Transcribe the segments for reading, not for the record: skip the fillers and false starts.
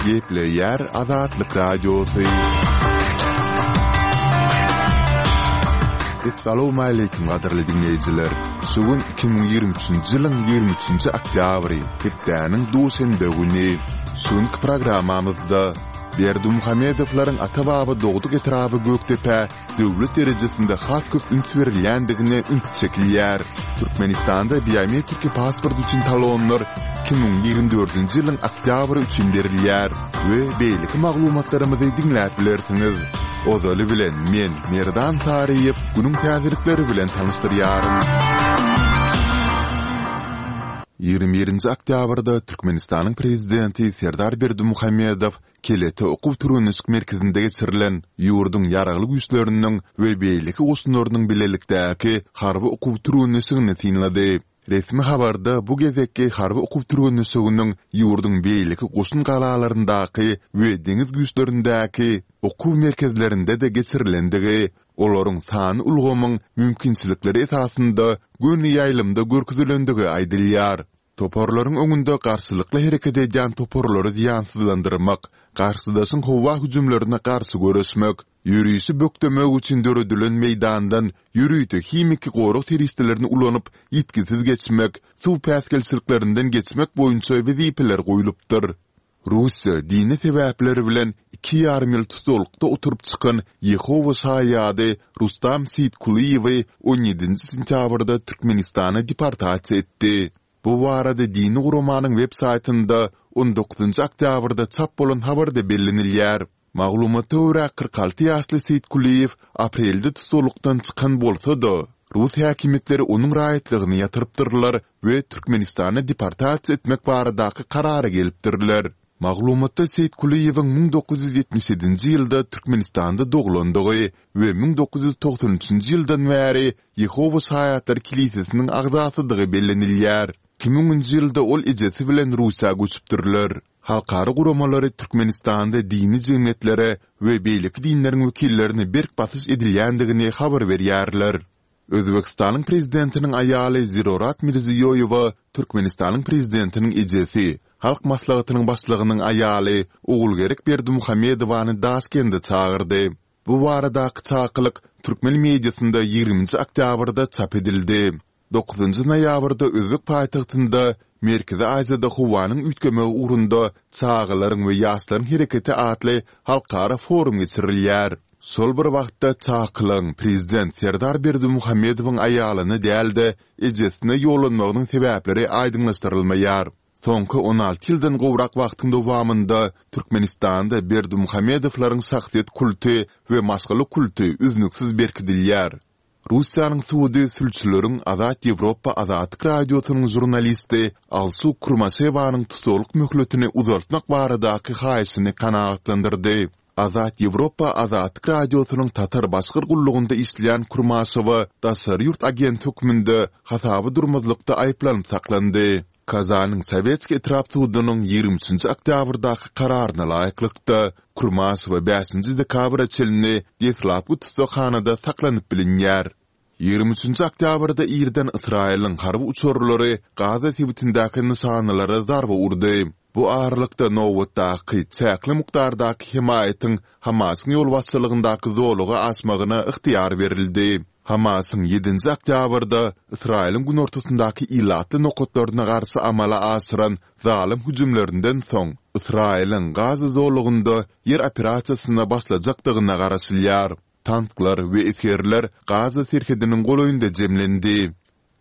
Gepleýär Azatlyk Radiosy. Essalawmaleýkim gadyrly diňleýjiler! Şu gün 2023-nji ýylyň 23-nji oktýabry, hepdäniň duşenbe güni. Şu günki programmamyzda Berdimuhamedowlaryň ata-baba dogduk etraby Gökdepä döwlet derejesinde has köp üns berilýändigine üns çekilýär. Türkmenistanda biometriki pasport üçin talonlar 2024-nji ýylyň oktýabry üçin berilýär we beýleki maglumatlarymyzy diňläp bilersiňiz. Ozaly bilen men, Merdan Saryýew, günüň täzelikleri bilen tanyşdyrýaryn. 21-nji oktýabrda Türkmenistanyň Prezidenti Serdar Berdimuhamedow Kelete okuw-türgenleşik merkezinde geçirilen ýurduň Ýaragly Güýçleriniň we beýleki goşunlarynyň bilelikdäki harby okuw-türgenleşigini synlady. Resmi habarda bu gezekki harby okuw-türgenleşiginiň ýurduň beýleki goşun galalaryndaky we deňiz güýçlerindäki okuw merkezlerinde-de geçirilendigi, olaryň sanly ulgamyň mümkinçilikleri esasynda göni ýaýlymda görkezilendigi aýdylýar. Toparlaryň öňünde garşylykly hereket edýän toparlary zyýansyzlandyrmak, garşydaşyň howa hüjümlerine garşy göreşmek, ýörişi bökdemek üçin döredilen meýdandan ýörite himiki gorag serişdelerini ulanyp ýitgisiz geçmek, suw päsgelçiliklerinden geçmek boýunça wezipeler goýlupdyr. Russiýa dini sebäpler bilen iki ýarym ýyl tussaglykda oturyp çykan Ýehowa şaýady Rustam Seýitkulyýewi on ýedinji sentýabrda Türkmenistana deportasiýa etdi. Bu barada dini guramanyň web saýtynda on dokuzynjy oktýabrda çap bolan habarda bellenilýär. Maglumata görä, 46 ýaşly Seýitkulyýew aprelde tussaglykdan çykan bolsa-da, rus häkimiýetleri onuň raýatlygyny ýatyrypdyrlar we Türkmenistana deportasiýa etmek baradaky karara gelipdirler. Maglumatda Seýitkulyýewiň 1977-nji ýylda Türkmenistanda doglandygy we 1993-nji ýyldan bäri Ýehowa şaýatlary kilisesiniň agzasydygy bellenilýär. 2000-nji ýylda ol ejesi bilen Russiýa göçüpdirler. Halkara guramalary Türkmenistanda dini jemgyýetlere we beýleki dinleriň wekillerine berk basyş edilýändigini habar berýärler. Özbegistanyň prezidentiniň aýaly Zirorat Mirziýoýewa Türkmenistanyň prezidentiniň ejesi, Halk Maslahatynyň başlygynyň aýaly Ogulgerek Berdimuhamedowany Daşkende çagyrdy. Bu baradaky çakylyk türkmen mediasynda ýigriminji oktýabrda çap edildi. Dokuzynjy noýabrda özbek paýtagtynda Merkezi Aziýada howanyň üýtgemegi ugrunda çagalaryň we ýaşlaryň hereketi atly halkara forum geçirilýär. Şol bir wagtda, çakylygyň prezident Serdar Berdimuhamedowyň aýalyna däl-de, ejesine ýollanmagynyň sebäpleri aýdyňlaşdyrylmaýar. Soňky 16 ýyldan gowrak wagtyň dowamynda Türkmenistanda Berdimuhamedowlaryň şahsyýet kulty we maşgala kulty üznüksiz berkidilýär. Russiýanyň sudy sülçüleriň Azat Ýewropa Azatlyk Radiosynyň žurnalisti Alsu Kurmaşewanyň tussaglyk möhletini uzaltmak baradaky haýyşyny kanagatlandyrdy. Azat Ýewropa Azatlyk Radiosynyň Tatar-Başgyr gullugynda işleýän Kurmaşewa daşary ýurt agenti hökmünde hasaba durmazlykda aýyplanyp saklandy. Kazanyň Sowetskiý etrap sudunyň 23-nji oktýabrdaky kararyna laýyklykda, Kurmaşewa bäşinji dekabra çenli deslapky tussaghanada saklanyp bilinýär. 23-nji oktýabrda irden Ysraýylyň harby uçarlary Gaza sebitindäki nyşanalara zarba urdy. Bu aralykda nobatdaky çäkli mukdardaky hemaýatyň Hamasyň ýolbaşçylygyndaky zolaga aşmagyna ygtyýar berildi. Hamasyň ýedinji oktýabrda Ysraýylyň günortasyndaky ilatly nokatlaryna garşy amala aşyran zalym hüjümlerinden soň, Ysraýylyň Gaza zolagynda ýer operasiýasyna başlajakdygyna garaşylýar. Tanklar we esgerler Gaza serhediniň golaýynda jemlendi.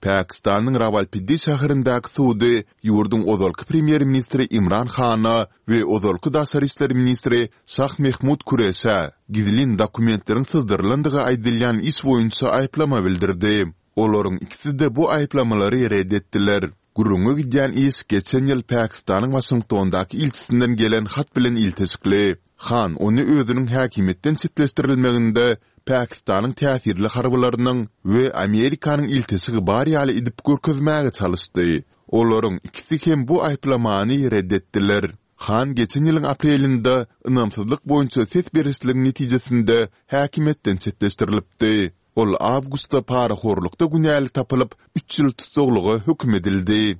Pakistanyň Rawalpindi şäherindäki sudy ýurduň ozalky premýer-ministri Imran Hana we ozalky daşary işler ministri Şah Mehmud Kureşä gizlin dokumentleriň syzdyrylandygy aýdylýan iş boýunça aýyplama bildirdi. Olaryň ikisi-de bu aýyplamalary ret etdiler. Gürrüňi gidýän iş geçen ýyl Pakistanyň Waşingtondaky ilçisinden gelen hat bilen ilteşikli. Han ony özüniň häkimiýetden çetleşdirilmeginde Pakistanyň täsirli harbylarynyň we Amerikanyň ilteşigi bar ýaly edip görkezmäge çalyşdy. Olaryň ikisi hem bu aýyplamany ret etdiler. Han geçen ýylyň aprelinde ynamsyzlyk boýunça ses berişligiň netijesinde häkimiýetden çetleşdirilipdi. Ol awgustda parahorlukda günäli tapylyp, üç ýyl tussaglyga höküm edildi.